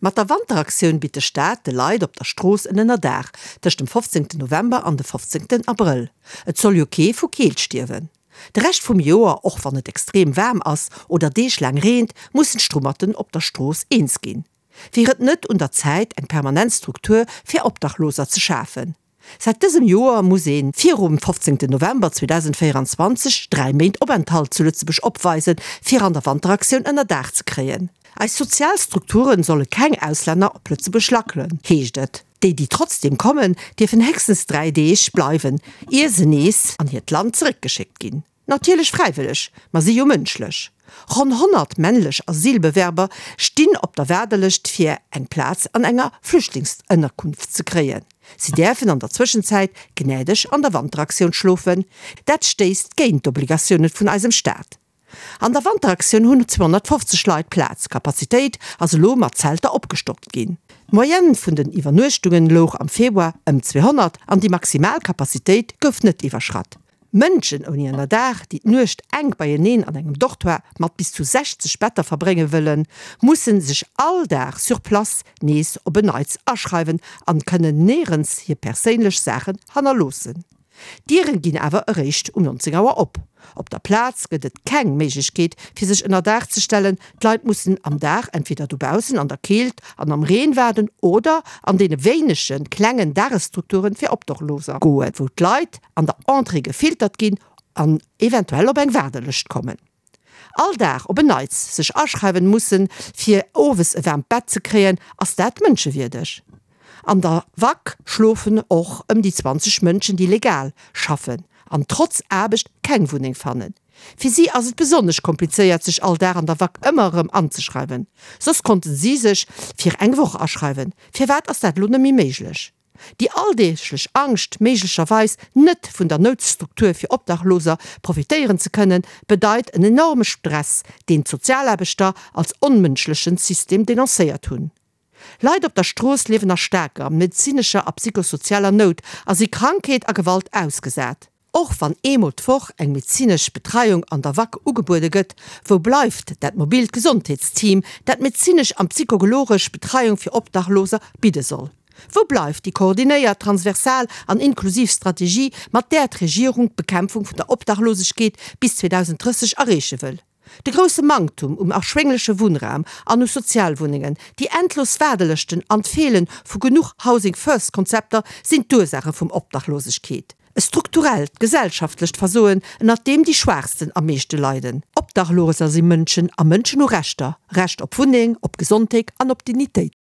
Mat der Wanteraktioun bitt de Staat de Leit op der Strooss en Ënnerdaach tëscht dem 15 November an de 15 Abrëll. Et soll jo kee vu Keelt stierwen. De Rescht vum Joer, och wann et extrem waarm ass oder Deeg laang reent, mussen d'Strummerten op der Strooss eens ginn. Wier et net un der Zäit eng permanent Struktur fir Obdachloser ze schafen? Säit dësem Joer muss ee virum 15 November 2024 3 Méint Openthalt zu Lëtzebuerg opweisen, fir an der Wanteraktioun ënnerdaach ze kréien. Eis sozial Strukturen solle keng Auslänner op Lëtzebuerg lackelen, heescht et. Déi, déi trotzdeem kommen, dierfen héchstens 3 Deeg bleiwen, ier se nees an hiert Land zeréckgeschéckt ginn. Natierlech fräiwëlleg, ma si jo mënschlech. Ronn 100 männlech Asylbewerber stinn op der Waardelëscht fir eng Plaz an enger Flüchtlingsënnerkunft ze kréien. Si däerfen an der Zwëschenzäit gnädeg an der Wanteraktioun schlofen. Dat stéisst géint d'Obligatioune vun eisem Staat. An der Wanteraktioun hunn 250 Leit Plaz. D'Kapazitéit ass elo mat Zelter opgestockt ginn. D'Moyenne vun den Iwwernuechtungen louch am Februar ëm 200 an déi maximal Kapazitéit gouf net iwwerschratt. Mënschen ouni Ënnerdaach, déi d'Nuecht enk beieneen an engem Dortoir mat bis zu 60 Better verbrénge wëllen, mussen sech all Dag sur place nees op en Neits aschreiwen an kënnen néierens hir perséinlech Saachen hannerloossen. D'Dieren ginn awer eréischt um 19 Auer op. Op der Plaz gëtt et keng Méiglechkeet fir sech ënnerdaach ze stellen, d'Leit mussen am Dag entweder dobaussen an der Keelt an am Reen waarden oder an deene wéinege klengen Dagesstrukturen fir Obdachloser goen, wou d'Leit an der Entrée gefiltert ginn an eventuell op eng Waardelëscht kommen. All Dag op en Neits sech aschreiwen mussen fir owes e waarmt Bett ze kréien, ass dat mënschewierdeg? An der WAK schlofen och ëm déi 20 Mënschen déi legal schaffen an trotz Aarbecht keng Wunneng fannen. Fir si ass et besonnesch komplizéiert sech all Dag an der WAK ëmmer erëm anzeschreiwen. Soss konnten si sech fir eng Woch aschreiwen. Firwat ass dat elo net méi méiglech? Déi alldeeglech Angscht, méiglecherweis net vun der Noutstruktur fir Obdachloser profitéieren ze kënnen, bedeit en enorme Stress, deen d'Sozialaarbechter als onmënschlechen System denoncéiert hunn. Leit op der Strooss liewen a staarker medezinescher a psychosozialer Nout a si Krankheet a Gewalt ausgesat. Och wann eemol d'Woch eng medezinesch Betreiung an der WAK ugebuede gëtt, wou bleift dat mobilt Gesondheetsteam, dat medezinesch an psychogologesch Betreiung fir Obdachloser bidde soll? Wou bleift déi koordinéiert, transversal an inklusiv Strategie, mat där d'Regierung d'Bekämpfung vun der Obdachlosegkeet bis 2030 erreeche wëll? De grousse Manktum um erschwéngleche Wunnraum an u Sozialwunnengen, déi endlos Waardelëschten an d'Feele vu genuch Housing First Konzepter sinn d'Ursaache vum Obdachlosegkeet. E strukturellt, gesellschaftlecht Versoen, ënnert deem déi Schwaachsten am meeschte leiden. Obdachloser si Mënschen a Mënschen hu Rechter, Recht op Wunneng, op Gesondheek an op Dignitéit.